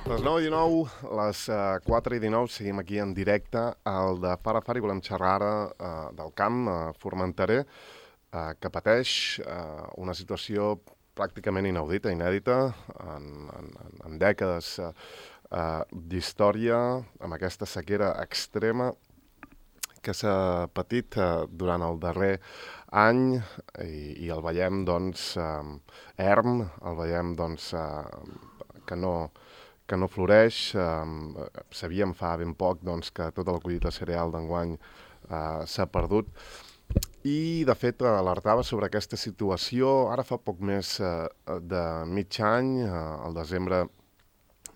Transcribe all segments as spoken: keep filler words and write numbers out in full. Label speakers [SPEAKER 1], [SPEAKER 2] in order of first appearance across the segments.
[SPEAKER 1] Les nou i dinou, les uh, quatre i dinou, seguim aquí en directe al de Fara Fara i volem xerrar ara uh, del camp uh, formenterer, uh, que pateix uh, una situació pràcticament inaudita, inèdita, en, en, en dècades uh, uh, d'història, amb aquesta sequera extrema que s'ha patit uh, durant el darrer any i, i el veiem, doncs, uh, erm, el veiem, doncs, uh, que no... que no floreix. Eh, sabíem fa ben poc doncs, que tota la collita cereal d'enguany eh, s'ha perdut. I, de fet, alertava sobre aquesta situació ara fa poc més eh, de mig any, eh, al desembre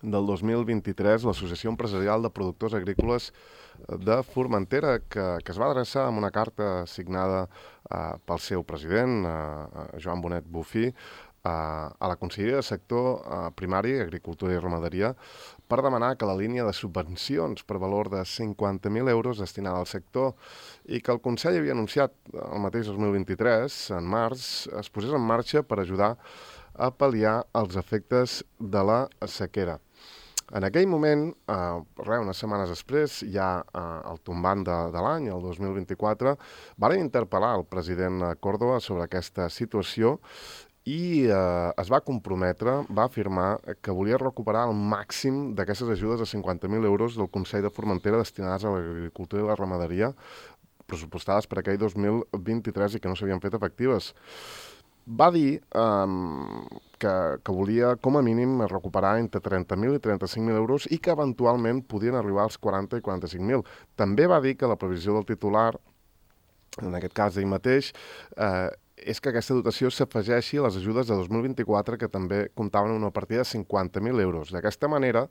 [SPEAKER 1] del dos mil vint-i-tres, l'Associació Empresarial de Productors Agrícoles de Formentera, que, que es va adreçar amb una carta signada eh, pel seu president, eh, Joan Bonet Bufí, a la Conselleria de Sector Primari, Agricultura i Ramaderia, per demanar que la línia de subvencions per valor de cinquanta mil euros destinada al sector i que el Consell havia anunciat el mateix dos mil vint-i-tres, en març, es posés en marxa per ajudar a pal·liar els efectes de la sequera. En aquell moment, eh, res, unes setmanes després, ja eh, el tombant de, de l'any, el dos mil vint-i-quatre, van interpel·lar el president Córdoba sobre aquesta situació i eh, es va comprometre, va afirmar que volia recuperar el màxim d'aquestes ajudes de cinquanta mil euros del Consell de Formentera destinades a l'agricultura i la ramaderia, pressupostades per aquell dos mil vint-i-tres i que no s'havien fet efectives. Va dir eh, que, que volia, com a mínim, recuperar entre trenta mil i trenta-cinc mil euros i que eventualment podien arribar als quaranta i quaranta-cinc mil. També va dir que la previsió del titular, en aquest cas ell mateix, eh, és que aquesta dotació s'afegeixi a les ajudes de dos mil vint-i-quatre, que també comptaven una partida de cinquanta mil euros. D'aquesta manera,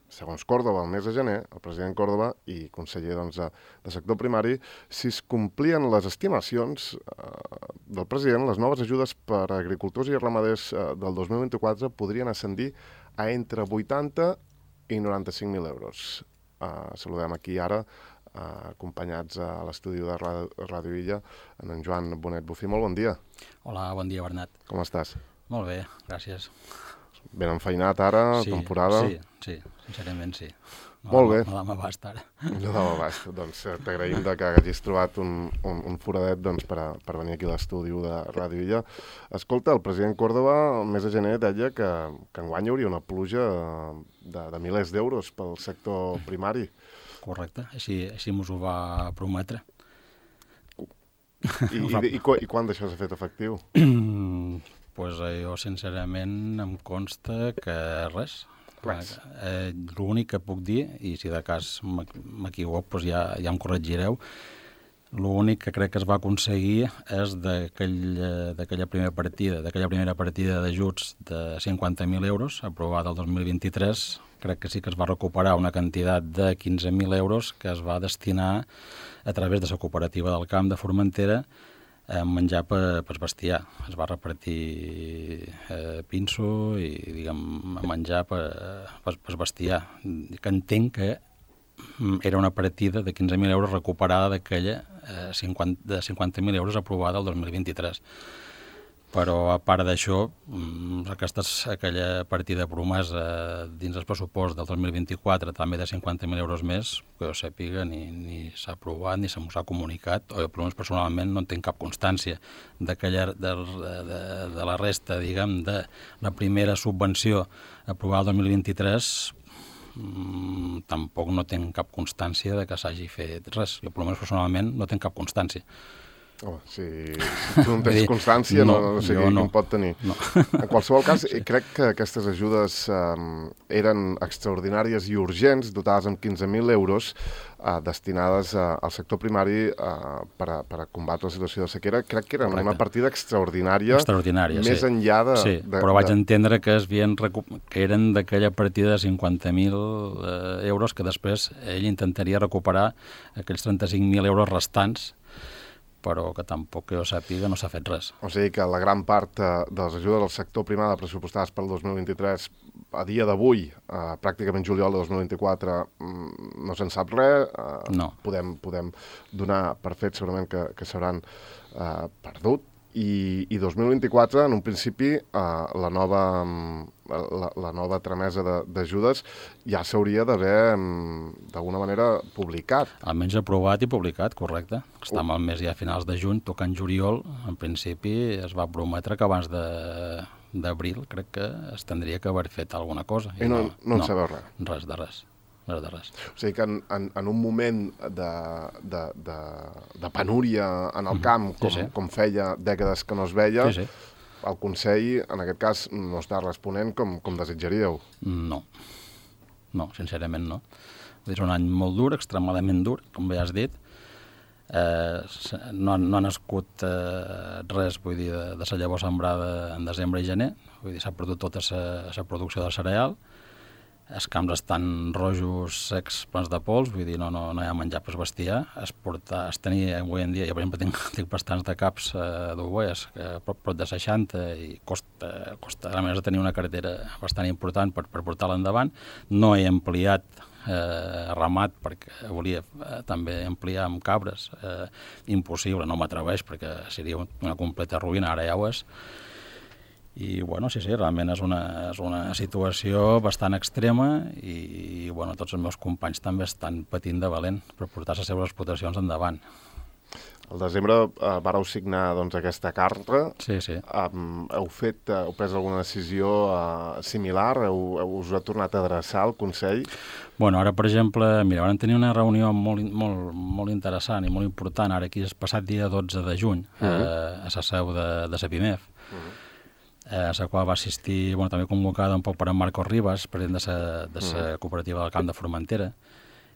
[SPEAKER 1] segons Córdoba, el mes de gener, el president Córdoba i conseller doncs, de, de sector primari, si es complien les estimacions eh, del president, les noves ajudes per a agricultors i ramaders eh, del dos mil vint-i-quatre podrien ascendir a entre vuitanta i noranta-cinc mil euros. Eh, saludem aquí ara Uh, acompanyats a l'estudi de Ràdio Illa, en en Joan Bonet Bufí. Molt bon dia.
[SPEAKER 2] Hola, bon dia, Bernat.
[SPEAKER 1] Com estàs?
[SPEAKER 2] Molt bé, gràcies.
[SPEAKER 1] Ben enfeinat ara,
[SPEAKER 2] sí,
[SPEAKER 1] temporada?
[SPEAKER 2] Sí, sí, sincerament sí. No
[SPEAKER 1] Molt bé.
[SPEAKER 2] No dà m'abast ara.
[SPEAKER 1] No dà m'abast. Doncs t'agraïm de que hagis trobat un, un, un foradet doncs, per, a, per venir aquí a l'estudi de Ràdio Illa. Escolta, el president Córdoba, el mes de gener, deia que, que enguany hi hauria una pluja de, de milers d'euros pel sector primari.
[SPEAKER 2] Correcte, així, així mos ho va prometre.
[SPEAKER 1] I, i, i, i quan d'això s'ha fet efectiu?
[SPEAKER 2] Doncs pues jo, sincerament, em consta que res.
[SPEAKER 1] Res.
[SPEAKER 2] Eh, L'únic que puc dir, i si de cas m'equivoc, pues ja, ja em corregireu, l'únic que crec que es va aconseguir és d'aquella primera partida, d'aquella primera partida d'ajuts de cinquanta mil euros, aprovada el dos mil vint-i-tres, crec que sí que es va recuperar una quantitat de quinze mil euros que es va destinar a través de la cooperativa del camp de Formentera a menjar per, per bestiar. Es va repartir eh, pinso i, diguem, menjar per, per, per bestiar. Que entenc que era una partida de quinze mil euros recuperada d'aquella eh, de cinquanta mil euros aprovada el dos mil vint-i-tres. Però, a part d'això, aquesta, aquella partida promesa dins el pressupost del dos mil vint-i-quatre, també de cinquanta mil euros més, que jo sàpiga, ni, ni s'ha aprovat, ni se m'ho s'ha comunicat, o jo, per almenys, personalment, no en tinc cap constància d'aquella, de, de, de la resta, diguem, de la primera subvenció aprovada el dos mil vint-i-tres, mmm, tampoc no tinc cap constància de que s'hagi fet res. Jo, per almenys, personalment, no tinc cap constància.
[SPEAKER 1] Oh, si, si tu no tens constància, no, no, no sé qui no. en pot tenir. No. En qualsevol cas, sí. Crec que aquestes ajudes um, eren extraordinàries i urgents, dotades amb quinze mil euros, uh, destinades uh, al sector primari uh, per, a, per a combatre la situació de sequera. Crec que era Correcte. Una partida extraordinària,
[SPEAKER 2] extraordinària
[SPEAKER 1] més
[SPEAKER 2] sí.
[SPEAKER 1] enllà de...
[SPEAKER 2] Sí,
[SPEAKER 1] de,
[SPEAKER 2] però vaig
[SPEAKER 1] de...
[SPEAKER 2] entendre que, es havien recu... que eren d'aquella partida de cinquanta mil eh, euros que després ell intentaria recuperar aquells trenta-cinc mil euros restants, però que tampoc que jo sàpiga no s'ha fet res.
[SPEAKER 1] O sigui que la gran part eh, de les ajudes del sector primari pressupostades pel dos mil vint-i-tres, a dia d'avui, eh, pràcticament juliol de dos mil vint-i-quatre, no se'n sap res. Eh,
[SPEAKER 2] no.
[SPEAKER 1] Podem, podem donar per fet segurament que, que s'hauran eh, perdut i, i dos mil vint-i-quatre, en un principi, uh, la nova... La, la nova tramesa d'ajudes ja s'hauria d'haver, d'alguna manera, publicat.
[SPEAKER 2] Almenys aprovat i publicat, correcte. Estem al mes ja a finals de juny, tocant juliol. En principi es va prometre que abans d'abril crec que es tindria que haver fet alguna cosa.
[SPEAKER 1] I, I no, no, no en sabeu res?
[SPEAKER 2] Res de res. Res de res.
[SPEAKER 1] O sigui que en, en, en un moment de, de, de, de penúria en el camp, com, sí, sí. com feia dècades que no es veia, sí, sí. el Consell, en aquest cas, no està responent com, com desitjaríeu.
[SPEAKER 2] No. No, sincerament no. És un any molt dur, extremadament dur, com bé has dit. Eh, no, no ha nascut eh, res, vull dir, de, de la llavor sembrada en desembre i gener. Vull dir, s'ha perdut tota la producció de cereal. Els camps estan rojos, secs, plens de pols, vull dir, no, no, no hi ha menjar per bestiar. Es, porta, es tenia avui en dia, jo per exemple tinc, tinc bastants de caps eh, d'ovelles, prop, prop de seixanta, i costa, costa a més de tenir una cartera bastant important per, per portar-la endavant. No he ampliat eh, ramat perquè volia eh, també ampliar amb cabres. Eh, impossible, no m'atreveix perquè seria una completa ruïna, ara ja ho és. I, bueno, sí, sí, realment és una, és una situació bastant extrema i, i, bueno, tots els meus companys també estan patint de valent per portar les seves explotacions endavant.
[SPEAKER 1] Al desembre eh, vareu signar doncs, aquesta carta.
[SPEAKER 2] Sí, sí.
[SPEAKER 1] Um, heu fet, uh, heu pres alguna decisió uh, similar? Heu, heu, us heu tornat a adreçar al Consell?
[SPEAKER 2] Bueno, ara, per exemple, mira, vam tenir una reunió molt, molt, molt interessant i molt important, ara aquí és passat dia dotze de juny, uh-huh. eh, a la seu de, de la PIMEF. Uh-huh. Eh, a la qual va assistir, bueno, també convocada un poc per en Marcos Ribas, president de la de sa cooperativa del Camp de Formentera,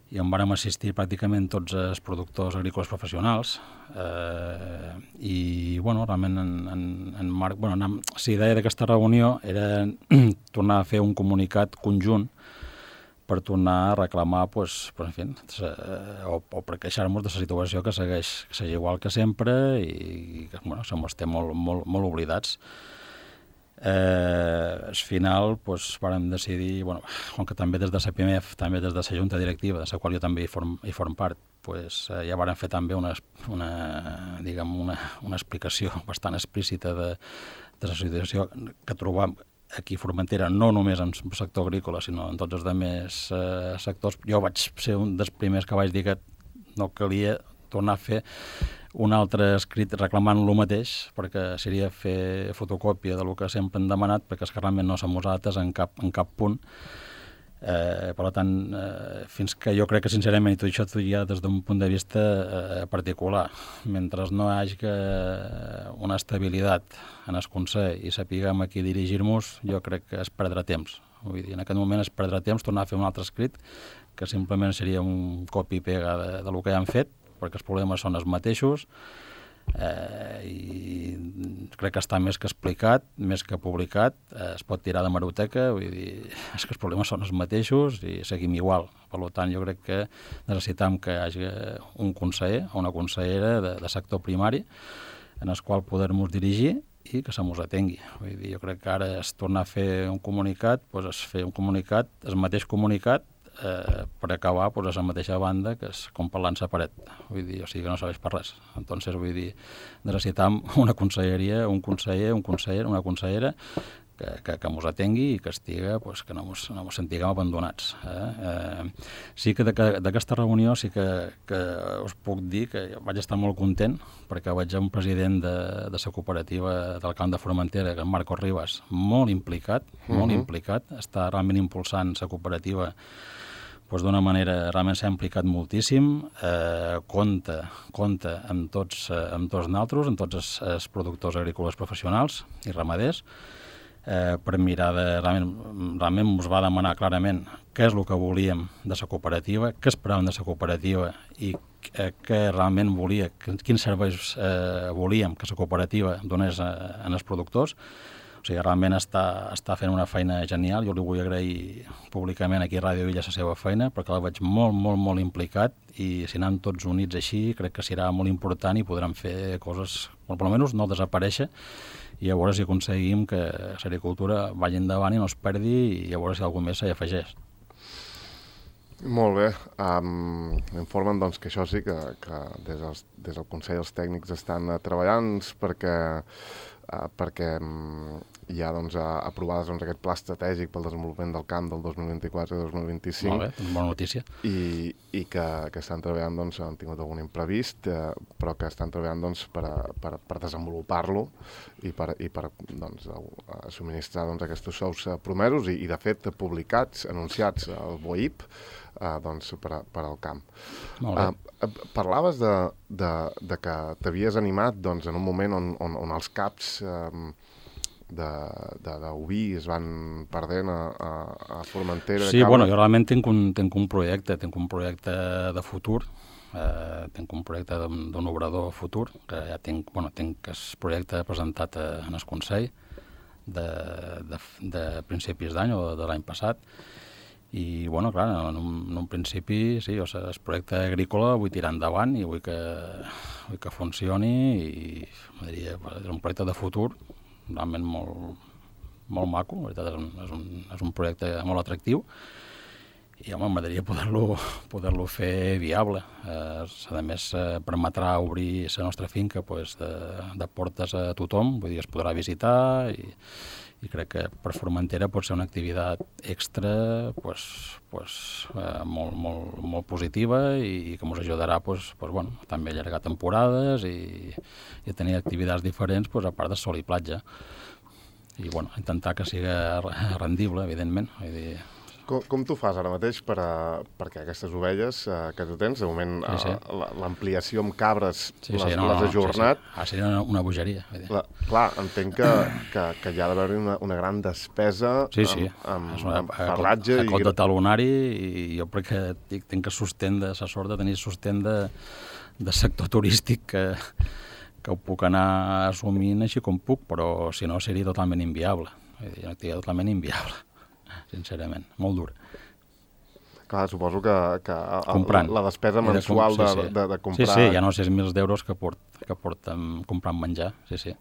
[SPEAKER 2] i on vàrem assistir pràcticament tots els productors agrícoles professionals, eh, i, bueno, realment en, en, en Marc... Bueno, la idea d'aquesta reunió era tornar a fer un comunicat conjunt per tornar a reclamar, pues, pues, en fi, o, o per queixar-nos de la situació que segueix, que segueix igual que sempre i que, bueno, se mos té molt, molt, molt oblidats. Eh, al final pues, vàrem decidir, bueno, com que també des de la PIMEF, també des de la Junta Directiva, de la qual jo també hi form, hi form part, pues, eh, ja vàrem fer també una, una, diguem, una, una explicació bastant explícita de, de la situació que trobam aquí a Formentera, no només en el sector agrícola, sinó en tots els altres eh, sectors. Jo vaig ser un dels primers que vaig dir que no calia tornar a fer un altre escrit reclamant lo mateix, perquè seria fer fotocòpia del que sempre han demanat, perquè és que realment no som nosaltres en cap, en cap punt. Eh, per tant, eh, fins que jo crec que sincerament, i tot això ja des d'un punt de vista eh, particular, mentre no hi hagi una estabilitat en el Consell i sapiguem a qui dirigir-nos, jo crec que es perdrà temps. Vull dir, en aquest moment es perdrà temps tornar a fer un altre escrit, que simplement seria un copia i pega de, de lo que ja han fet, perquè els problemes són els mateixos, eh, i crec que està més que explicat, més que publicat, eh, es pot tirar de maroteca, vull dir, és que els problemes són els mateixos i seguim igual. Per tant, jo crec que necessitam que hi hagi un conseller o una consellera de, de sector primari en el qual poder-nos dirigir i que se mos atengui. Vull dir, jo crec que ara es torna a fer un comunicat, doncs es fer un comunicat, el mateix comunicat, Eh, per acabar pues, a la mateixa banda que és com parlant-se a paret, vull dir, o sigui que no serveix per res. Entonces, vull dir, necessitam una conselleria, un conseller, un conseller, una consellera que, que, que mos atengui i que estiga, pues, que no mos, no mos sentiguem abandonats. Eh? Eh, sí que d'aquesta reunió sí que, que us puc dir que vaig estar molt content perquè vaig a un president de, de la cooperativa del Camp de Formentera, que és Marcos Ribas, molt implicat, uh-huh. molt implicat, està realment impulsant la cooperativa pues, d'una manera, realment s'ha implicat moltíssim, eh, compta, compta amb tots, eh, amb tots nosaltres, amb tots els, els productors agrícoles professionals i ramaders, eh, per mirar de, realment, realment ens va demanar clarament què és el que volíem de la cooperativa, què esperàvem de la cooperativa i eh, què realment volia, quins serveis eh, volíem que la cooperativa donés a, a els productors. O sigui, realment està, està fent una feina genial. Jo li vull agrair públicament aquí a Ràdio Villa la seva feina, perquè la veig molt, molt, molt implicat i si anem tots units així, crec que serà molt important i podrem fer coses, o per almenys no desaparèixer, i a veure si aconseguim que l'agricultura vagi endavant i no es perdi i a veure si algú més s'hi afegeix.
[SPEAKER 1] Molt bé. Um, informen doncs, que això sí, que, que des, dels, des del Consell els tècnics estan uh, treballant perquè, uh, perquè um, hi ha doncs, uh, aprovades doncs, aquest pla estratègic pel desenvolupament del camp del dos mil vint-i-quatre a dos mil vint-i-cinc.
[SPEAKER 2] Molt bé, doncs bona notícia.
[SPEAKER 1] I, i que, que estan treballant, doncs, han tingut algun imprevist, eh, però que estan treballant doncs, per, a, per, per desenvolupar-lo i per, i per doncs, a, a subministrar doncs, aquests sous promesos i, i, de fet, publicats, anunciats al B O I P, eh, doncs, per, a, per al camp.
[SPEAKER 2] Molt bé.
[SPEAKER 1] Eh, parlaves de, de, de que t'havies animat doncs, en un moment on, on, on els caps eh, d'oví es van perdent a, a, a Formentera.
[SPEAKER 2] Sí, bueno, jo realment tinc un, tinc un projecte, tinc un projecte de futur, eh, tinc un projecte d'un obrador futur, que ja tinc, bueno, tinc el projecte presentat a, en el Consell de, de, de principis d'any o de l'any passat, i, bueno, clar, en un, en un principi, sí, o sigui, el projecte agrícola vull tirar endavant i vull que, vull que funcioni i, diria, és un projecte de futur, realment molt, molt maco, la veritat és un, és un, és un projecte molt atractiu i home, m'agradaria poder-lo poder-lo fer viable. Eh, a més, eh, permetrà obrir la nostra finca pues, de, de portes a tothom, vull dir, es podrà visitar i, i crec que per Formentera pot ser una activitat extra pues, pues, eh, molt, molt, molt positiva i que ens ajudarà pues, pues, bueno, també a allargar temporades i, i a tenir activitats diferents pues, a part de sol i platja. I bueno, intentar que sigui rendible, evidentment. Vull dir,
[SPEAKER 1] Com, com tu fas ara mateix per a, perquè aquestes ovelles eh, que tu tens, de moment sí, sí. uh, l'ampliació amb cabres
[SPEAKER 2] sí,
[SPEAKER 1] les,
[SPEAKER 2] sí, no,
[SPEAKER 1] les
[SPEAKER 2] no,
[SPEAKER 1] has ajornat?
[SPEAKER 2] Sí, sí. Ah, seria una, una bogeria.
[SPEAKER 1] La, clar, entenc que, que, que hi ha d'haver una, una gran despesa
[SPEAKER 2] sí, sí.
[SPEAKER 1] amb, amb,
[SPEAKER 2] una,
[SPEAKER 1] amb farratge.
[SPEAKER 2] A cot de talonari i jo crec que tinc, tinc que sostén de la sort de tenir sostén de, de sector turístic que, que ho puc anar assumint així com puc, però si no seria totalment inviable. Vull dir, una activitat totalment inviable. Sincerament, molt dura.
[SPEAKER 1] Clar, suposo que, que
[SPEAKER 2] comprant.
[SPEAKER 1] La, la despesa mensual de, sí, sí. de, de comprar...
[SPEAKER 2] Sí, sí, hi ha no sis mil d'euros que, port, que porten comprant menjar, sí, sí.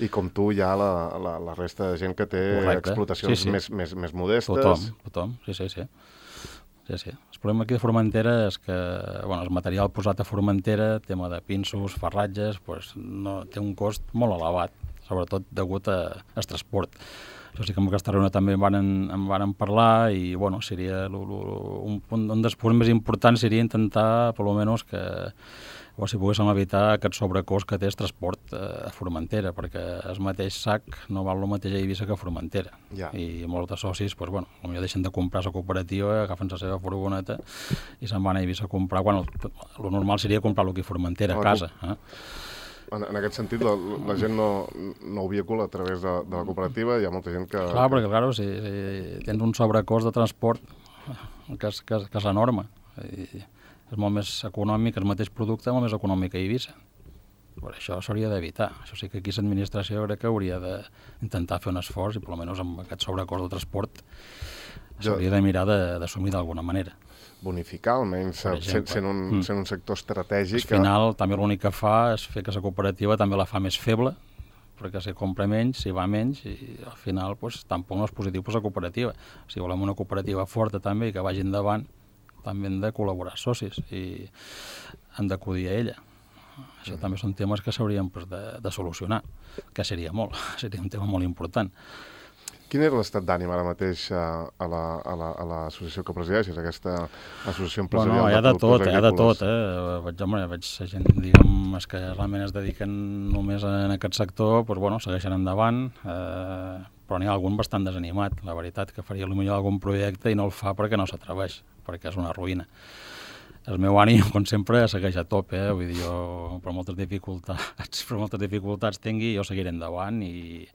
[SPEAKER 1] I com tu hi ha la, la, la resta de gent que té Correcte. explotacions sí, sí. Més, més, més modestes...
[SPEAKER 2] Tothom, tothom, sí, sí, sí. Sí, sí. El problema aquí de Formentera és que bueno, el material posat a Formentera, tema de pinsos, farratges, pues, no, té un cost molt elevat, sobretot degut al transport. Això sí que amb aquesta reunió també en van, en van parlar i bueno, seria lo, lo, un, un dels punts més importants seria intentar, per almenys, que o si poguéssim evitar aquest sobrecost que té el transport a Formentera, perquè el mateix sac no val el mateix a Eivissa que a Formentera.
[SPEAKER 1] Ja.
[SPEAKER 2] I molts de socis, pues, bueno, potser deixen de comprar la cooperativa, agafen la seva furgoneta i se'n van a Eivissa a comprar. Bueno, el normal seria comprar-lo aquí a Formentera, a casa. Eh?
[SPEAKER 1] En, en aquest sentit, la, la gent no, no ho vehicula a través de, de la cooperativa, hi ha molta gent que...
[SPEAKER 2] Clar, perquè clar, si, si tens un sobrecost de transport que és, que és, que és enorme, i és molt més econòmic, el mateix producte molt més econòmic que a Eivissa. Per això s'hauria d'evitar. Això sí que aquí l'administració crec que hauria d'intentar fer un esforç i, per almenys, amb aquest sobrecost de transport s'hauria de mirar d'assumir d'alguna manera.
[SPEAKER 1] Bonificar, almenys, sent, sent, un, mm. sent un sector estratègic.
[SPEAKER 2] Al final, que... també l'únic que fa és fer que la cooperativa també la fa més feble, perquè si compra menys, si va menys, i al final pues, tampoc no és positiu per la cooperativa. Si volem una cooperativa forta també i que vagi endavant, també hem de col·laborar socis i hem d'acudir a ella. Això mm. també són temes que s'haurien pues, de, de solucionar, que seria molt, seria un tema molt important.
[SPEAKER 1] Quin era l'estat d'ànim ara mateix a, a l'associació que presideixes, aquesta associació empresarial?
[SPEAKER 2] Bueno, hi ha de tot, hi ha de tot. Eh? Veig, home, veig gent, diguem, que realment es dediquen només en aquest sector, doncs, bueno, segueixen endavant, eh, però n'hi ha algun bastant desanimat, la veritat, que faria potser algun projecte i no el fa perquè no s'atreveix, perquè és una ruïna. El meu ànim, com sempre, segueix a tope, eh? Vull dir, jo, per moltes dificultats, per moltes dificultats tingui, jo seguiré endavant i...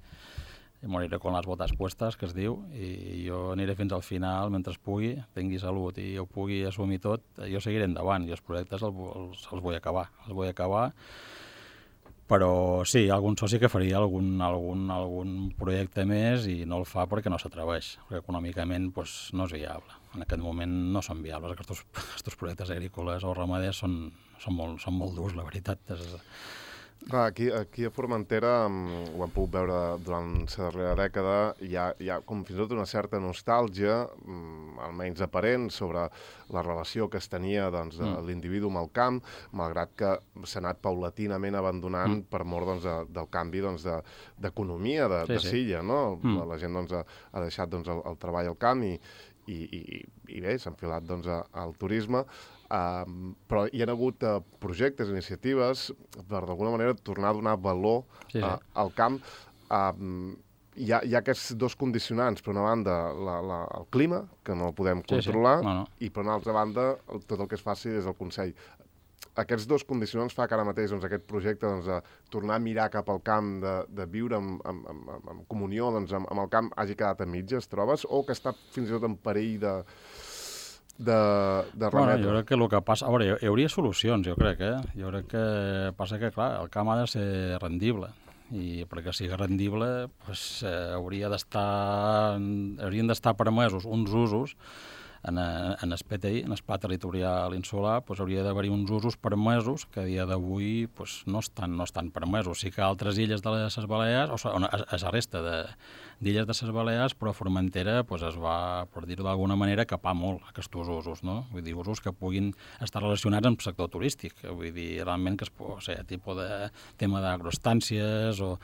[SPEAKER 2] i moriré con les botes puestes, que es diu, i jo aniré fins al final mentre pugui, tingui salut i jo pugui assumir tot, jo seguiré endavant i els projectes els, els, els vull acabar, els vull acabar, però sí, algun soci que faria algun, algun, algun projecte més i no el fa perquè no s'atreveix, perquè econòmicament pues, no és viable. En aquest moment no són viables, aquests, aquests projectes agrícoles o ramaders són, són, molt, són molt durs, la veritat. És,
[SPEAKER 1] Clar, aquí, aquí a Formentera, ho hem pogut veure durant la darrera dècada, hi ha, hi ha com fins i tot una certa nostàlgia, almenys aparent, sobre la relació que es tenia doncs, de
[SPEAKER 2] Mm.
[SPEAKER 1] l'individu amb el camp, malgrat que s'ha anat paulatinament abandonant
[SPEAKER 2] Mm.
[SPEAKER 1] per mort doncs, de, del canvi doncs, de, d'economia de,
[SPEAKER 2] Sí,
[SPEAKER 1] de
[SPEAKER 2] sí.
[SPEAKER 1] Silla. No?
[SPEAKER 2] Mm.
[SPEAKER 1] La, la gent doncs, ha, ha deixat doncs, el, el treball al camp i, i, i, i bé, s'ha enfilat doncs, a, al turisme. Um, però hi ha hagut uh, projectes, iniciatives per d'alguna manera tornar a donar valor
[SPEAKER 2] Sí, sí.
[SPEAKER 1] uh, al camp. Um, hi, ha, hi ha aquests dos condicionants, per una banda la, la, el clima, que no podem
[SPEAKER 2] Sí, sí.
[SPEAKER 1] controlar,
[SPEAKER 2] No, no.
[SPEAKER 1] i per una altra banda el, tot el que es faci des del Consell. Aquests dos condicionants fa que ara mateix doncs, aquest projecte doncs, de tornar a mirar cap al camp, de, de viure en, en, en, en comunió doncs, amb, amb el camp, hagi quedat a mitges, trobes? O que està fins i tot en perill de, de, de
[SPEAKER 2] Bueno,
[SPEAKER 1] remetre?
[SPEAKER 2] jo crec que el que passa... A veure, hi, hi hauria solucions, jo crec, eh? Jo crec que passa que, clar, el camp ha de ser rendible. I perquè sigui rendible, pues, eh, hauria d'estar... haurien d'estar permesos uns usos en, en el P T I, en el Pla Territorial Insular, pues, hauria d'haver-hi uns usos permesos que a dia d'avui pues, no, estan, no estan permesos. Sí que altres illes de les Balears, o sigui, a, a la resta de, d'illes de les Balears, però a Formentera pues, es va, per dir-ho d'alguna manera, capar molt aquests usos, no? Vull dir, usos que puguin estar relacionats amb el sector turístic. Vull dir, realment que es pot, o sigui, tipus de tema d'agroestàncies o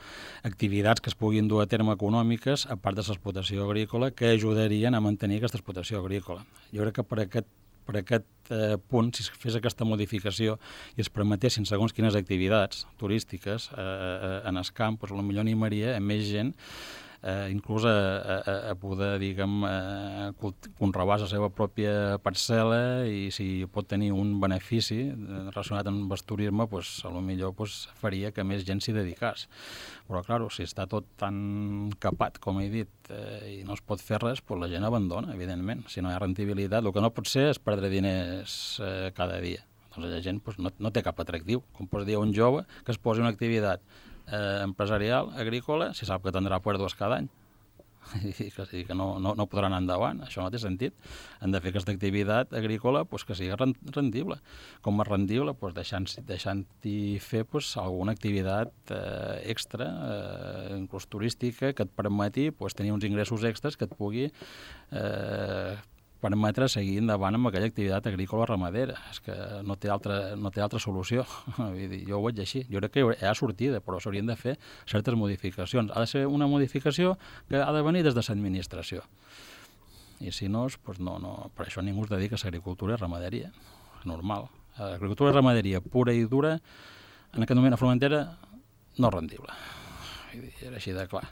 [SPEAKER 2] activitats que es puguin dur a terme econòmiques, a part de l'explotació agrícola, que ajudarien a mantenir aquesta explotació agrícola. Jo crec que per aquest, per aquest eh, punt, si es fes aquesta modificació i es permetessin segons quines activitats turístiques eh, eh, en el camp, doncs potser animaria a més gent eh, inclús a, a, a poder, diguem, eh, conrear la seva pròpia parcel·la i si pot tenir un benefici relacionat amb el turisme, doncs, a lo millor doncs, faria que més gent s'hi dedicés. Però, clar, si està tot tan capat, com he dit, eh, i no es pot fer res, doncs la gent abandona, evidentment. Si no hi ha rendibilitat, el que no pot ser és perdre diners eh, cada dia. Doncs la gent doncs, no, no té cap atractiu. Com pots dir a un jove que es posi una activitat eh, empresarial, agrícola, si sap que tindrà pèrdues cada any i que, i que no, no, no podrà anar endavant. Això no té sentit. Han de fer aquesta activitat agrícola pues, que sigui rendible. Com és rendible? Pues, deixant-hi deixant fer pues, alguna activitat eh, extra, eh, inclús turística, que et permeti pues, tenir uns ingressos extras que et pugui eh, permetre seguir endavant amb aquella activitat agrícola o ramadera. És que no té altra, no té altra solució. Vull dir, jo ho veig així. Jo crec que hi ha sortida, però s'haurien de fer certes modificacions. Ha de ser una modificació que ha de venir des de l'administració. I si no, doncs no, no, per això ningú es dedica a l'agricultura i ramaderia. És normal. L'agricultura i ramaderia pura i dura, en aquest moment a Formentera, no és rendible. Era així de clar.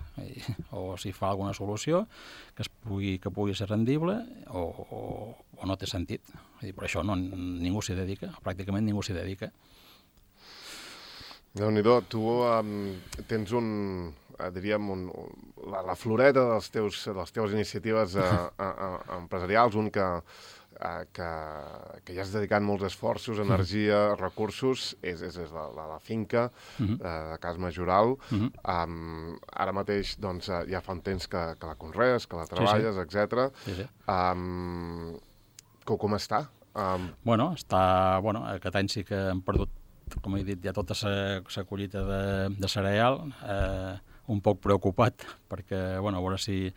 [SPEAKER 2] O si fa alguna solució que, es pugui, que pugui ser rendible o, o, o no té sentit. Per això no, ningú s'hi dedica, pràcticament ningú s'hi dedica.
[SPEAKER 1] Déu-n'hi-do, tu um, tens un, uh, diríem, un, la, la floreta dels teus, de les teves iniciatives uh, uh, uh, empresarials, un que, uh, que, que ja has dedicat molts esforços, energia, recursos, és, és, és la, la, la finca uh, de Cas Majoral. Uh-huh. um, ara mateix doncs, uh, ja fa un temps que, que la conrees, que la treballes, sí, sí. etcètera. Sí, sí. Um, com, com està? Um...
[SPEAKER 2] Bueno, està, bueno, aquest any sí que hem perdut, com he dit, ja tota la collita de, de cereal, eh, un poc preocupat, perquè, bueno, a veure si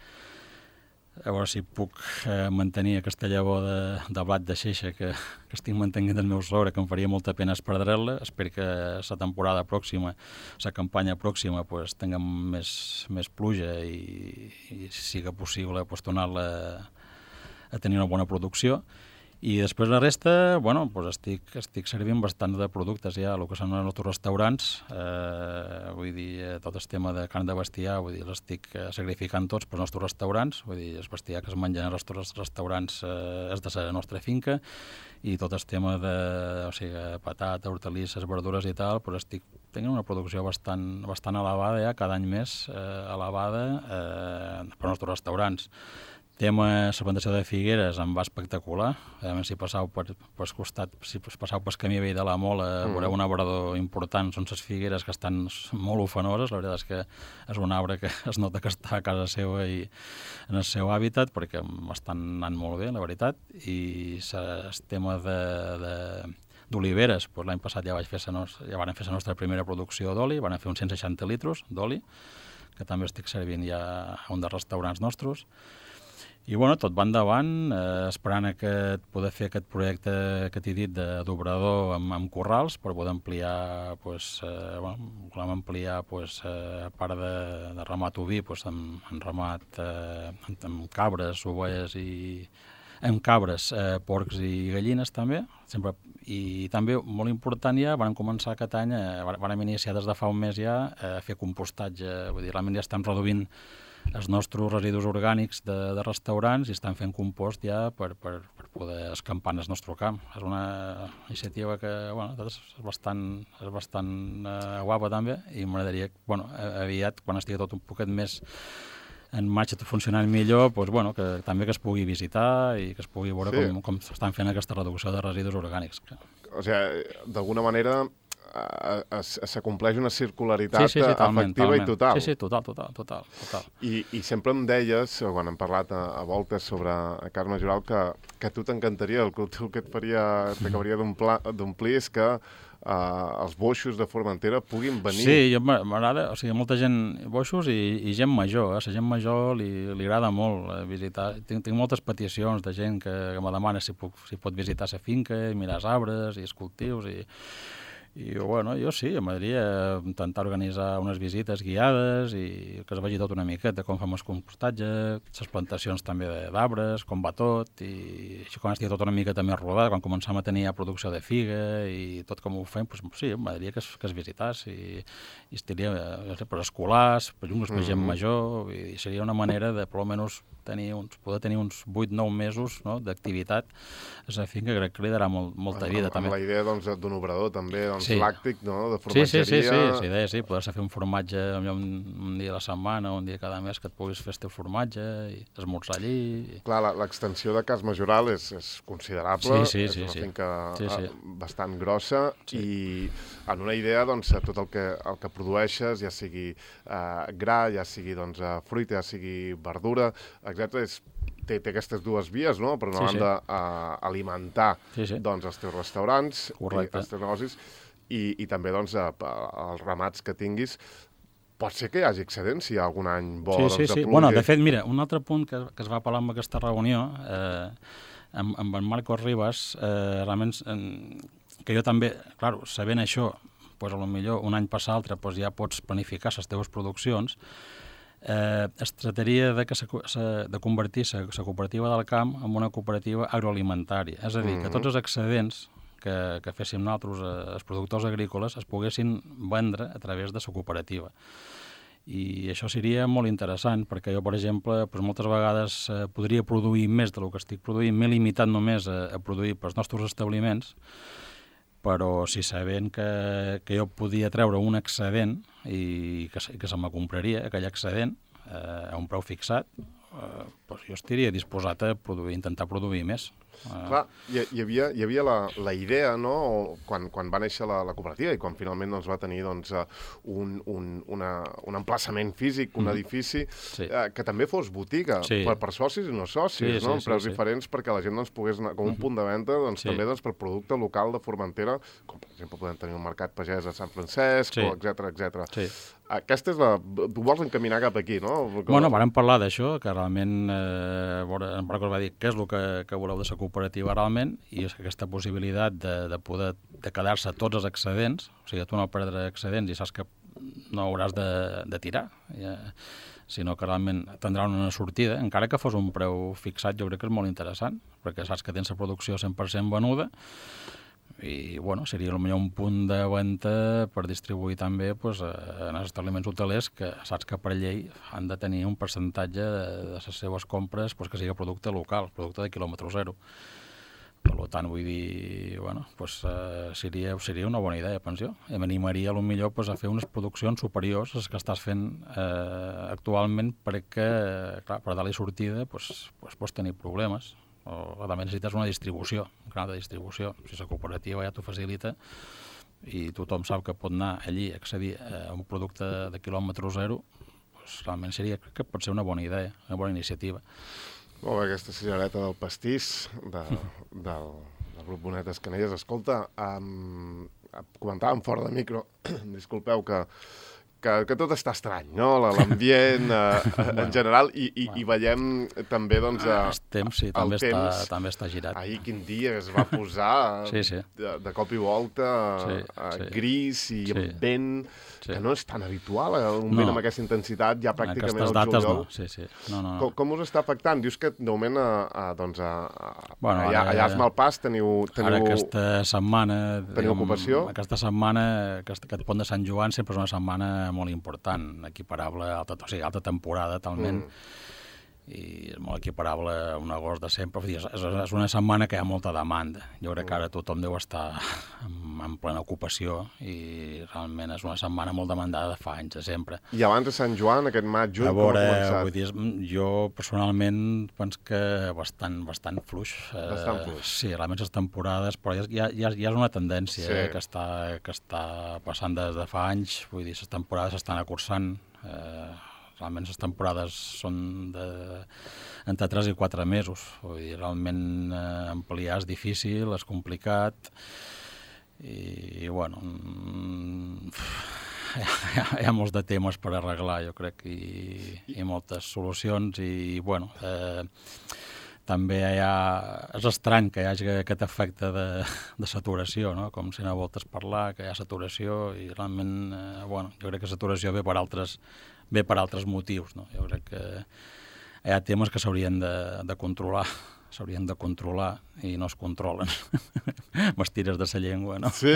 [SPEAKER 2] a veure si puc eh, mantenir aquesta llavor de, de blat de xeixa que, que estic mantenint del meu sogre, que em faria molta pena perdre-la. Espero que la temporada pròxima, la campanya pròxima, pues, tinguem més, més pluja i, i si siga possible pues, tornar-la a tenir una bona producció. I després la resta, bueno, doncs estic, estic servint bastant de productes ja, el que són els nostres restaurants, eh, vull dir, tot el tema de carn de bestiar, vull dir, l'estic sacrificant tots pels nostres restaurants, vull dir, el bestiar que es menja en els nostres restaurants eh, és de la nostra finca, i tot el tema de, o sigui, patata, hortalisses, verdures i tal, doncs estic tenint una producció bastant, bastant elevada ja, cada any més eh, elevada eh, per als nostres restaurants. Tema la plantació de figueres em va espectacular. A més, si passau per, per costat, si passau pel camí vell de la Mola, mm. veureu un arbrador important. Són les figueres que estan molt ufanoses. La veritat és que és un arbre que es nota que està a casa seva i en el seu hàbitat, perquè m'estan anant molt bé, la veritat. I el tema de, de, d'oliveres, doncs l'any passat ja, vaig fer sa nos, ja van fer la nostra primera producció d'oli, van fer uns cent seixanta litres d'oli, que també estic servint ja a un dels restaurants nostres. I bueno, tot va endavant, eh, esperant aquest, poder fer aquest projecte que t'he dit d'obrador amb, amb corrals per poder ampliar, pues, eh, bueno, volem ampliar, pues, eh, a part de, de ramat oví, pues, amb, amb ramat eh, amb, amb cabres, ovelles i amb cabres, eh, porcs i gallines també, sempre, i també molt important ja, vam començar aquest any, eh, vam iniciar des de fa un mes ja a fer compostatge, vull dir, realment ja estem reduint els nostres residus orgànics de, de restaurants i estan fent compost ja per, per, per poder escampar en el nostre camp. És una iniciativa que, bueno, és bastant, és bastant uh, guapa també i m'agradaria, bueno, aviat, quan estigui tot un poquet més en marxa, tot funcionant millor, doncs, bueno, que també que es pugui visitar i que es pugui veure sí. com, com s'estan fent aquesta reducció de residus orgànics.
[SPEAKER 1] O sigui, d'alguna manera s'acompleix una circularitat
[SPEAKER 2] sí, sí, sí, talment,
[SPEAKER 1] efectiva
[SPEAKER 2] talment.
[SPEAKER 1] i total.
[SPEAKER 2] Sí, sí, total, total, total. total.
[SPEAKER 1] I, I sempre em deies, quan hem parlat a, a voltes sobre carn majoral, que, que a tu t'encantaria, el cultiu que et faria, t'acabaria d'omplir és que uh, els boixos de Formentera puguin venir.
[SPEAKER 2] Sí, jo m'agrada, o sigui, molta gent, boixos i, i gent major, eh? La gent major li, li agrada molt eh, visitar. Tinc, tinc moltes peticions de gent que, que me demana si, puc, si pot visitar la finca i mirar els arbres i els cultius i... I bueno, jo sí, m'agradaria intentar organitzar unes visites guiades i que es vegi tot una miqueta, com fem el compostatge, les plantacions també d'arbres, com va tot, i així quan estigui tot una miqueta més rodat, quan comencem a tenir producció de figa i tot com ho fem, doncs sí, m'agradaria que es, que es visitàs i, i estaria per escolars, per jungles, per gent mm -hmm. major, i seria una manera de, per almenys, tenir uns, poder tenir uns vuit nou mesos no, d'activitat a la finca, que crec que li darà molt, molta vida.
[SPEAKER 1] Amb,
[SPEAKER 2] també.
[SPEAKER 1] amb la idea doncs, d'un obrador també, doncs,
[SPEAKER 2] sí.
[SPEAKER 1] làctic, no? De formatgeria.
[SPEAKER 2] Sí, sí, sí, sí, la idea sí, poder-se fer un formatge un, un dia a la setmana, un dia cada mes que et puguis fer el teu formatge i esmorzar allí.
[SPEAKER 1] Clar, l'extensió de Cas Majoral és, és considerable,
[SPEAKER 2] sí, sí,
[SPEAKER 1] és
[SPEAKER 2] sí,
[SPEAKER 1] una
[SPEAKER 2] sí.
[SPEAKER 1] finca
[SPEAKER 2] sí, sí.
[SPEAKER 1] bastant grossa sí. i en una idea, doncs, tot el que, el que produeixes, ja sigui uh, gra, ja sigui doncs, uh, fruita, ja sigui verdura, etcètera, és Té, té aquestes dues vies, no? Per una sí, banda, sí. Uh, alimentar sí, sí. Doncs, els teus restaurants, i els teus negocis, i, i també doncs, uh, els ramats que tinguis. Pot ser que hi hagi excedents si hi ha algun any bo
[SPEAKER 2] sí,
[SPEAKER 1] doncs,
[SPEAKER 2] sí,
[SPEAKER 1] de
[SPEAKER 2] sí.
[SPEAKER 1] pluja.
[SPEAKER 2] Bueno, de fet, mira, un altre punt que, que es va parlar en aquesta reunió, eh, amb, amb en Marcos Ribas, eh, realment, eh, que jo també, clar, sabent això, doncs, potser un any per l'altre doncs, ja pots planificar les teves produccions. Eh, es trataria de, que se, se, de convertir la cooperativa del camp en una cooperativa agroalimentària. És a dir, mm-hmm. que tots els excedents que, que féssim nosaltres, eh, els productors agrícoles, es poguessin vendre a través de la cooperativa. I això seria molt interessant, perquè jo, per exemple, doncs moltes vegades eh, podria produir més del que estic produint, m'he limitat només a, a produir pels nostres establiments, però si sabent que, que jo podia treure un excedent i que, que se me compraria aquell excedent eh, a un preu fixat, eh, doncs jo estaria disposat a produir, intentar produir més.
[SPEAKER 1] Clar, hi, hi havia, hi havia la, la idea, no?, quan, quan va néixer la, la cooperativa i quan finalment doncs, va tenir doncs, un, un, una, un emplaçament físic, un mm. edifici, sí. eh, que també fos botiga, sí. per, per socis i no socis, sí, no? Sí, amb preus sí, diferents, sí. perquè la gent doncs, pogués anar com un punt de venda doncs, sí. també doncs, per producte local de Formentera, com per exemple podem tenir un mercat pagès a Sant Francesc, sí. etcètera, etcètera. Sí. Aquesta és la... Tu vols encaminar cap aquí, no?
[SPEAKER 2] Perquè... Bueno, vàrem parlar d'això, que realment eh, en Marcos va dir què és el que, que voleu de la cooperativa realment, i és aquesta possibilitat de, de poder de quedar-se tots els excedents, o sigui, tu no perdre excedents i saps que no hauràs de, de tirar, ja, sinó que realment tindrà una sortida, encara que fos un preu fixat, jo crec que és molt interessant, perquè saps que tens la producció cent per cent venuda, i bueno, seria potser un punt de venda per distribuir també pues, en els establiments hotelers que saps que per llei han de tenir un percentatge de, de les seves compres pues, que sigui producte local, producte de quilòmetre zero. Per tant, vull dir, bueno, pues, uh, seria, seria una bona idea, penso jo. I m'animaria potser pues, a fer unes produccions superiors a les que estàs fent uh, actualment perquè, clar, per dar-li sortida pues, pues, pots tenir problemes. O també necessites una distribució, un canal de distribució. Si la cooperativa ja t'ho facilita i tothom sap que pot anar allí a accedir a un producte de quilòmetre zero, doncs realment seria, crec que pot ser una bona idea, una bona iniciativa.
[SPEAKER 1] Molt bé, aquesta senyoreta del pastís, de, del, Pablo Bonetes Canelles. Escolta, um, comentàvem fora de micro, disculpeu que, que, que tot està estrany, no? L'ambient eh, en general, i, i, i veiem també, doncs, eh,
[SPEAKER 2] el temps, sí, també,
[SPEAKER 1] el temps,
[SPEAKER 2] està, també està girat.
[SPEAKER 1] Ahir quin dia es va posar
[SPEAKER 2] sí, sí.
[SPEAKER 1] De, de cop i volta
[SPEAKER 2] sí,
[SPEAKER 1] uh,
[SPEAKER 2] sí.
[SPEAKER 1] gris i
[SPEAKER 2] sí.
[SPEAKER 1] amb vent, sí. que no és tan habitual, eh? un
[SPEAKER 2] no.
[SPEAKER 1] vent amb aquesta intensitat ja pràcticament
[SPEAKER 2] al
[SPEAKER 1] juliol.
[SPEAKER 2] No. Sí, sí. No, no, no.
[SPEAKER 1] Com, com us està afectant? Dius que de moment a, a, doncs a, a,
[SPEAKER 2] bueno,
[SPEAKER 1] allà,
[SPEAKER 2] ara,
[SPEAKER 1] allà a Malpàs teniu, teniu...
[SPEAKER 2] Ara aquesta setmana...
[SPEAKER 1] Teniu ocupació?
[SPEAKER 2] Aquesta setmana, aquest, aquest pont de Sant Joan sempre és una setmana molt important, equiparable a alta, o sigui, alta temporada, talment, mm. i és molt equiparable a un agost de sempre. És, és una setmana que hi ha molta demanda. Jo crec que ara tothom deu estar en, en plena ocupació i realment és una setmana molt demandada de fa anys, de sempre.
[SPEAKER 1] I abans de Sant Joan, aquest maig, juny,
[SPEAKER 2] a veure,
[SPEAKER 1] com ha començat?
[SPEAKER 2] Vull dir, jo personalment penso que bastant, bastant fluix.
[SPEAKER 1] Bastant fluix.
[SPEAKER 2] Eh, sí, realment les temporades, però ja, ja, ja és una tendència sí. eh, que, està, que està passant des de fa anys. Vull dir, les temporades s'estan acursant. Eh, realment les temporades són de, entre tres i quatre mesos. Vull dir, realment eh, ampliar és difícil, és complicat i, i bueno, mm, hi, ha, hi ha molts de temes per arreglar, jo crec, i, i moltes solucions i, bueno, eh, també hi ha... És estrany que hi hagi aquest efecte de, de saturació, no? Com si no voltes parlar, que hi ha saturació i realment, eh, bueno, jo crec que saturació ve per altres, ve per altres motius, no? Jo crec que hi ha temes que s'haurien de, de controlar, s'haurien de controlar i no es controlen. M'estires de sa llengua, no?
[SPEAKER 1] Sí.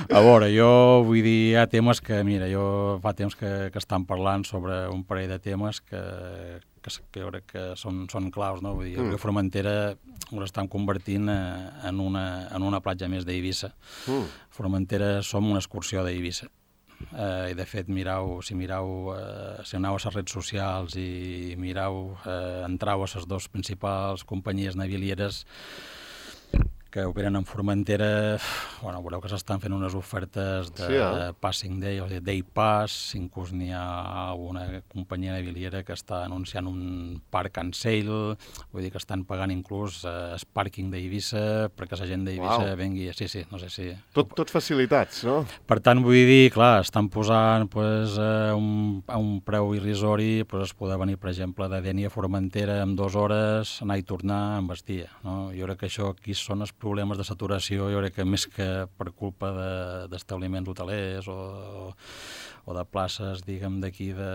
[SPEAKER 2] A veure, jo vull dir, hi ha temes que, mira, jo fa temps que, que estan parlant sobre un parell de temes que, que, que jo crec que són, són claus, no? Vull dir, mm. Formentera ho estan convertint en una, en una platja més d'Eivissa. Mm. Formentera som una excursió d'Eivissa. Uh, i de fet mirau, si mirau uh, si aneu a les redes socials i mirau, uh, entrau a les dues principals companyies navilieres que operen en Formentera, bueno, veureu que s'estan fent unes ofertes de sí, eh? Passing Day, o sigui, Day Pass, inclús n'hi ha una companyia naviliera que està anunciant un park and sail, vull dir que estan pagant inclús eh, el pàrquing d'Eivissa perquè la gent d'Eivissa wow. vengui, sí, sí, no sé si...
[SPEAKER 1] Tot, tot facilitats, no?
[SPEAKER 2] Per tant, vull dir, clar, estan posant pues, eh, un, a un preu irrisori, pues, es poder venir, per exemple, de Dénia a Formentera en dues hores, anar i tornar amb vestia, no? Jo crec que això aquí són els problemes de saturació, jo crec que més que per culpa d'establiments de, hotelers o, o de places, diguem, d'aquí de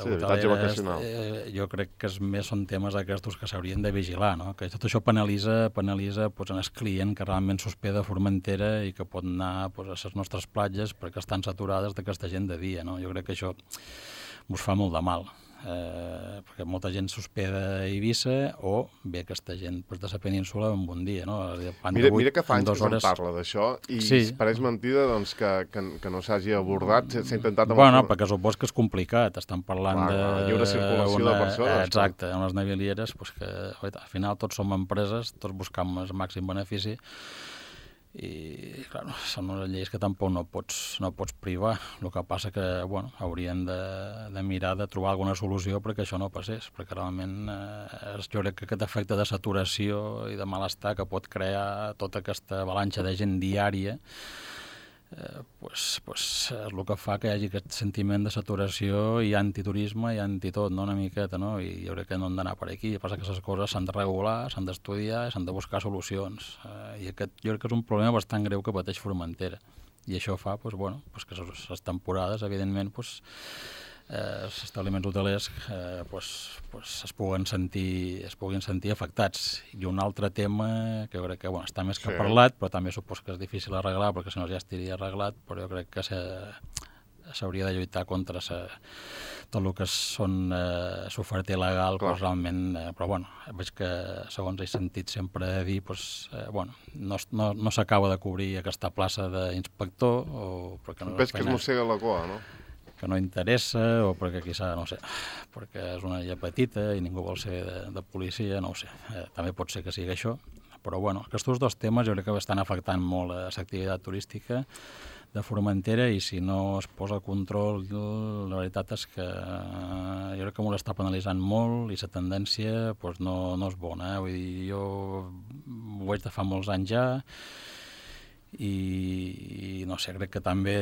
[SPEAKER 1] sí,
[SPEAKER 2] hoteleres, eh, jo crec que és, més són temes aquests que s'haurien de vigilar, no? Que tot això penalitza, penalitza pues, en el client que realment s'hospeda a Formentera i que pot anar pues, a les nostres platges perquè estan saturades d'aquesta gent de dia, no? Jo crec que això us fa molt de mal. Eh, perquè molta gent s'hospeda a Eivissa o ve aquesta gent pues, de la península en un dia, no?
[SPEAKER 1] Mira, mira que fa anys que se'n parla d'això i sí. pareix mentida doncs, que, que, que no s'hagi abordat, s'ha intentat...
[SPEAKER 2] Bueno, no, perquè supos que és complicat, estan parlant
[SPEAKER 1] clar,
[SPEAKER 2] de...
[SPEAKER 1] lliure circulació una, de persones.
[SPEAKER 2] Exacte, unes navilieres pues, que al final tots som empreses, tots buscam el màxim benefici i, clar, són unes lleis que tampoc no pots, no pots privar. El que passa que, bueno, haurien de, de mirar de trobar alguna solució perquè això no passés, perquè realment eh, jo crec que aquest efecte de saturació i de malestar que pot crear tota aquesta avalanxa de gent diària eh, pues, pues, és el que fa que hi hagi aquest sentiment de saturació i antiturisme i antitot, no? Una miqueta, no? I jo crec que no han d'anar per aquí. El que passa que aquestes coses s'han de regular, s'han d'estudiar, s'han de buscar solucions. Eh, I aquest jo crec que és un problema bastant greu que pateix Formentera. I això fa pues, bueno, pues, que les temporades, evidentment, pues, eh, els establiments hotelers eh, pues, pues, es, puguen sentir, es puguin sentir afectats. I un altre tema que jo crec que bueno, està més que sí. parlat, però també supos que és difícil arreglar, perquè si no ja estaria arreglat, però jo crec que s'hauria de lluitar contra sa, tot el que són eh, l'oferta il·legal, pues, realment, eh, però bueno, veig que segons he sentit sempre dir, pues, eh, bueno, no, no, no s'acaba de cobrir aquesta plaça d'inspector, o perquè no
[SPEAKER 1] veig que es mossega la cua, no?
[SPEAKER 2] Que no interessa, o perquè quizà, no sé, perquè és una illa petita i ningú vol ser de, de policia, no ho sé. Eh, també pot ser que sigui això, però bueno, aquests dos temes jo crec que estan afectant molt l'activitat turística de Formentera, i si no es posa control, la veritat és que jo crec que m'ho està penalitzant molt i la tendència pues, no, no és bona. Eh? Vull dir, jo ho veig de fa molts anys ja i, i no sé, crec que també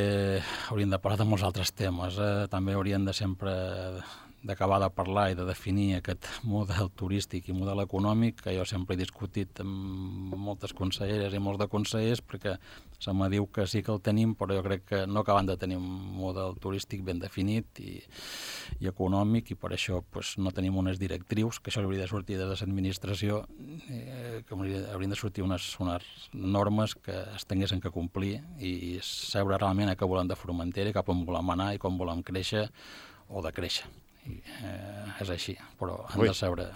[SPEAKER 2] hauríem de parlar de molts altres temes. Eh? També haurien de sempre d'acabar de parlar i de definir aquest model turístic i model econòmic, que jo sempre he discutit amb moltes conselleres i molts de consellers, perquè se me diu que sí que el tenim, però jo crec que no acaben de tenir un model turístic ben definit i, i econòmic, i per això pues, no tenim unes directrius, que això hauria de sortir de l'administració, eh, que haurien de sortir unes, unes normes que es tinguessin que complir i saber realment a què volem de Formentera, cap on volem anar i com volem créixer o de créixer. I, eh, és així, però han
[SPEAKER 1] Ui,
[SPEAKER 2] de saber...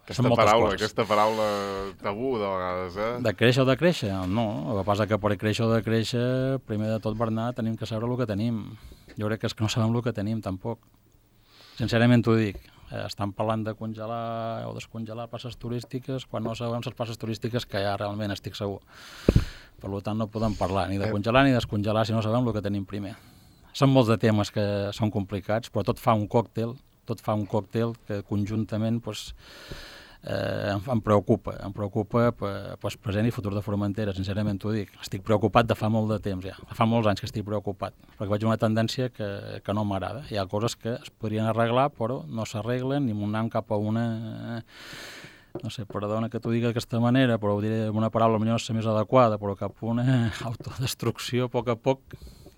[SPEAKER 1] Aquesta paraula, coses. aquesta paraula tabú de vegades, eh?
[SPEAKER 2] De créixer o de créixer? No, el que passa que per créixer o de créixer, primer de tot, Bernat, tenim que saber el que tenim. Jo crec que és que no sabem el que tenim, tampoc. Sincerament t'ho dic. Eh, estan parlant de congelar o descongelar passes turístiques quan no sabem les passes turístiques que hi ha realment, estic segur. Per tant, no podem parlar ni de congelar ni descongelar si no sabem el que tenim primer. Són molts de temes que són complicats, però tot fa un còctel, tot fa un còctel que conjuntament pues, eh, em, em preocupa, em preocupa pues, present i futur de Formentera, sincerament t'ho dic. Estic preocupat de fa molt de temps ja, fa molts anys que estic preocupat, perquè veig una tendència que, que no m'agrada. Hi ha coses que es podrien arreglar, però no s'arreglen i anem cap a una... no sé, perdona que t'ho digui d'aquesta manera, però ho diré amb una paraula potser no és la més adequada, però cap a una autodestrucció a poc a poc,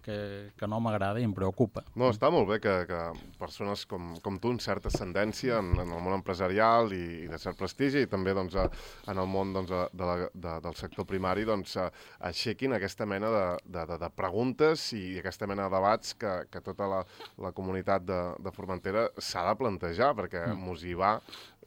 [SPEAKER 2] Que, que no m'agrada i em preocupa.
[SPEAKER 1] No, està molt bé que, que persones com, com tu, amb certa ascendència en, en el món empresarial i, i de cert prestigi, i també doncs, a, en el món doncs, a, de la, de, del sector primari, doncs, a, aixequin aquesta mena de, de, de, de preguntes i aquesta mena de debats que, que tota la, la comunitat de, de Formentera s'ha de plantejar, perquè mm. mos hi va,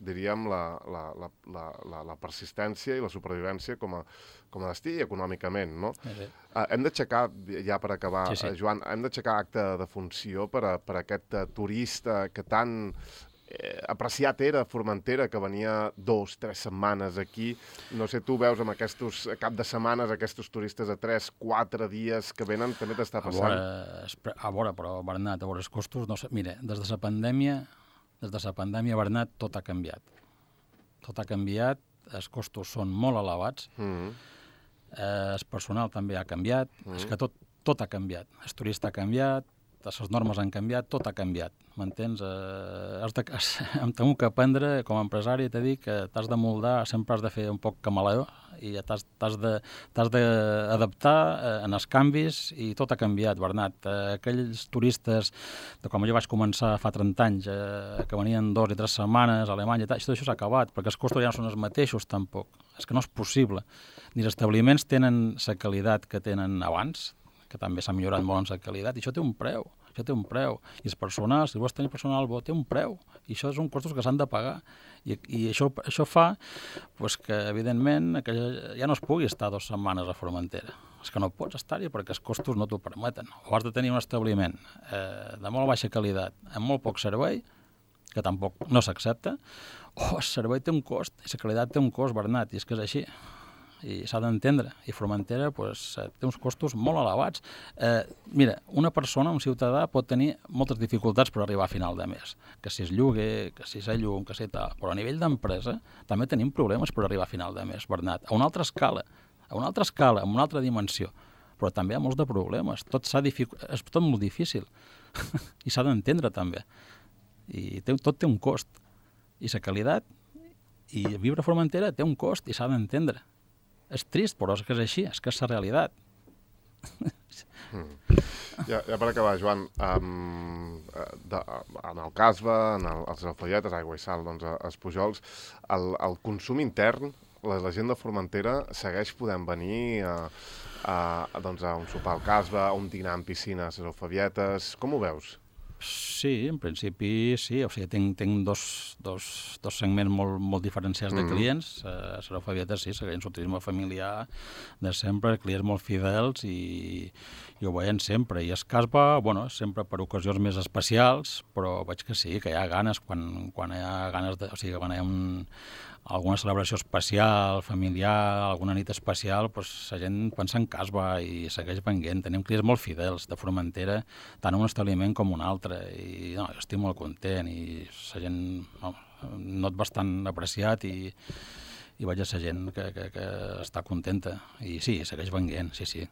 [SPEAKER 1] diríem, la, la, la, la, la, la persistència i la supervivència com a, com a destí i econòmicament, no? Sí, sí. Uh, hem d'aixecar, ja per acabar, sí, sí. Uh, Joan, hem d'aixecar acte de funció per a, per a aquest uh, turista que tan eh, apreciat era Formentera, que venia dos, tres setmanes aquí. No sé, tu veus amb aquests cap de setmanes, aquests turistes a tres, quatre dies que venen, també t'està passant?
[SPEAKER 2] A veure, a veure, però, Bernat, a veure, els costos, no sé, mira, des de la pandèmia, des de la pandèmia, Bernat, tot ha canviat. Tot ha canviat, els costos són molt elevats, mm-hmm. eh, el personal també ha canviat, mm-hmm. és que tot, tot ha canviat. El turista ha canviat, les normes han canviat, tot ha canviat, m'entens? Eh, has de, has, em temo que aprendre, com a empresari, t'he dit que t'has de moldar, sempre has de fer un poc camaleó, i t'has, t'has de, t'has d'adaptar eh, en els canvis, i tot ha canviat, Bernat. Eh, aquells turistes, de com jo vaig començar fa trenta anys, eh, que venien dos i tres setmanes a Alemanya, i tal, això s'ha acabat, perquè els costos ja no són els mateixos, tampoc. És que no és possible. Ni els establiments tenen la qualitat que tenen abans, que també s'ha millorat molt en la qualitat, i això té un preu, això té un preu. I el personal, si vols tenir personal bo, té un preu, i això són costos que s'han de pagar. I, i això, això fa pues, que, evidentment, que ja no es pugui estar dues setmanes a Formentera. És que no pots estar-hi perquè els costos no t'ho permeten. O has de tenir un establiment eh, de molt baixa qualitat, amb molt poc servei, que tampoc no s'accepta, o el servei té un cost, i la qualitat té un cost, Bernat, i és que és així. I s'ha d'entendre, i Formentera pues, té uns costos molt elevats. Eh, mira, una persona, un ciutadà, pot tenir moltes dificultats per arribar a final de mes, que si és lloguer, que si és llum, que si tal, però a nivell d'empresa també tenim problemes per arribar a final de mes, Bernat, a una altra escala, a una altra escala, en una altra dimensió, però també hi ha molts de problemes, tot s'ha dific... és tot molt difícil, i s'ha d'entendre també, i té, tot té un cost, i la qualitat, i viure a Formentera té un cost, i s'ha d'entendre. És trist, però és que és així, és que és la realitat.
[SPEAKER 1] Mm. Ja, ja per acabar, Joan, um, de, en el Casba, en el, els Alfolletes, Aigua i Sal, doncs, els Pujols, el, el consum intern, la, la gent de Formentera segueix podent venir a, a, a, doncs, a un sopar al Casba, a un dinar en piscina a les Alfolletes. Com ho veus?
[SPEAKER 2] Sí, en principi sí, o sigui, tinc, tinc dos, dos, dos segments molt, molt diferenciats de clients. Mm. Uh, a Serofavietes sí, segueix un turisme familiar de sempre, clients molt fidels i, i ho veiem sempre. I es Casba, bueno, sempre per ocasions més especials, però veig que sí, que hi ha ganes, quan, quan hi ha ganes de, o sigui, quan hi ha un, alguna celebració especial, familiar, alguna nit especial, doncs la gent pensa en casba i segueix venguent. Tenim clients molt fidels de Formentera, tant un establiment com un altre, i no, jo estic molt content i la gent no, not bastant apreciat i, i veig a la gent que, que, que està contenta. I sí, segueix venguent, sí, sí.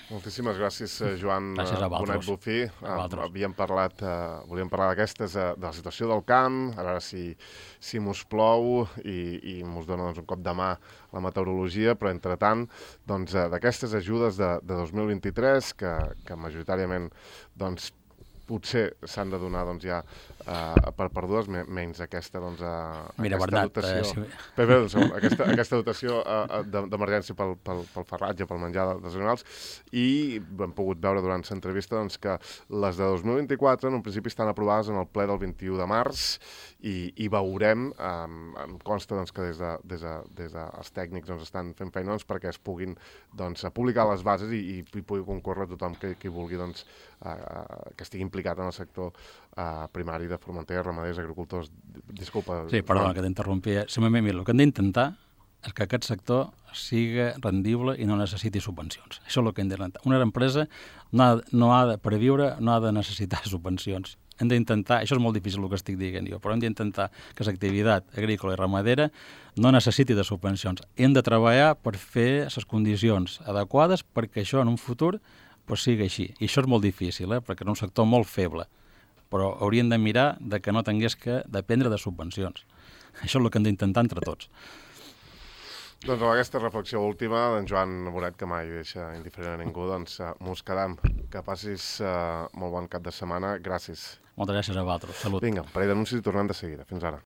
[SPEAKER 1] Moltíssimes gràcies, Joan Bonet Bufí. Havíem parlat, uh, volíem parlar d'aquestes, uh, de la situació del camp, a veure si, si mos plou i, i mos dona doncs, un cop de mà la meteorologia, però entretant, doncs, uh, d'aquestes ajudes de, de dos mil vint-i-tres, que, que majoritàriament doncs, potser s'han de donar doncs, ja uh, per perdudes, menys aquesta, doncs, uh,
[SPEAKER 2] Mira,
[SPEAKER 1] aquesta
[SPEAKER 2] Bernat,
[SPEAKER 1] dotació.
[SPEAKER 2] Eh, si...
[SPEAKER 1] Bé, bé, doncs, aquesta, aquesta dotació uh, d'emergència pel, pel, pel farratge, pel menjar dels animals, i hem pogut veure durant l'entrevista doncs, que les de dos mil vint-i-quatre en un principi estan aprovades en el ple del vint-i-u de març i, i veurem, um, em consta doncs, que des de, des de, des de els tècnics doncs, estan fent feina doncs, perquè es puguin doncs, publicar les bases i, i, i pugui concórrer tothom que, que vulgui doncs, uh, que estigui implicat en el sector uh, primari de Formentera, ramaders, agricultors. Disculpa.
[SPEAKER 2] Sí, perdona que t'interrompi. Simplement, mira, el que hem d'intentar és que aquest sector siga rendible i no necessiti subvencions. Això és el que hem d'intentar. Una empresa no ha, no ha de, per viure, no ha de necessitar subvencions. Hem d'intentar, això és molt difícil el que estic dient jo, però hem d'intentar que l'activitat agrícola i ramadera no necessiti de subvencions. Hem de treballar per fer les condicions adequades perquè això en un futur pues sigui així. I això és molt difícil, eh? Perquè és un sector molt feble, però hauríem de mirar de que no tingués que dependre de subvencions. Això és el que hem d'intentar entre tots.
[SPEAKER 1] Doncs amb aquesta reflexió última d'en Joan Bonet, que mai deixa indiferent a ningú, doncs uh, mos quedam. Que passis uh, molt bon cap de setmana. Gràcies.
[SPEAKER 2] Moltes gràcies a vosaltres. Salut.
[SPEAKER 1] Vinga, un parell d'anuncis i tornem de seguida. Fins ara.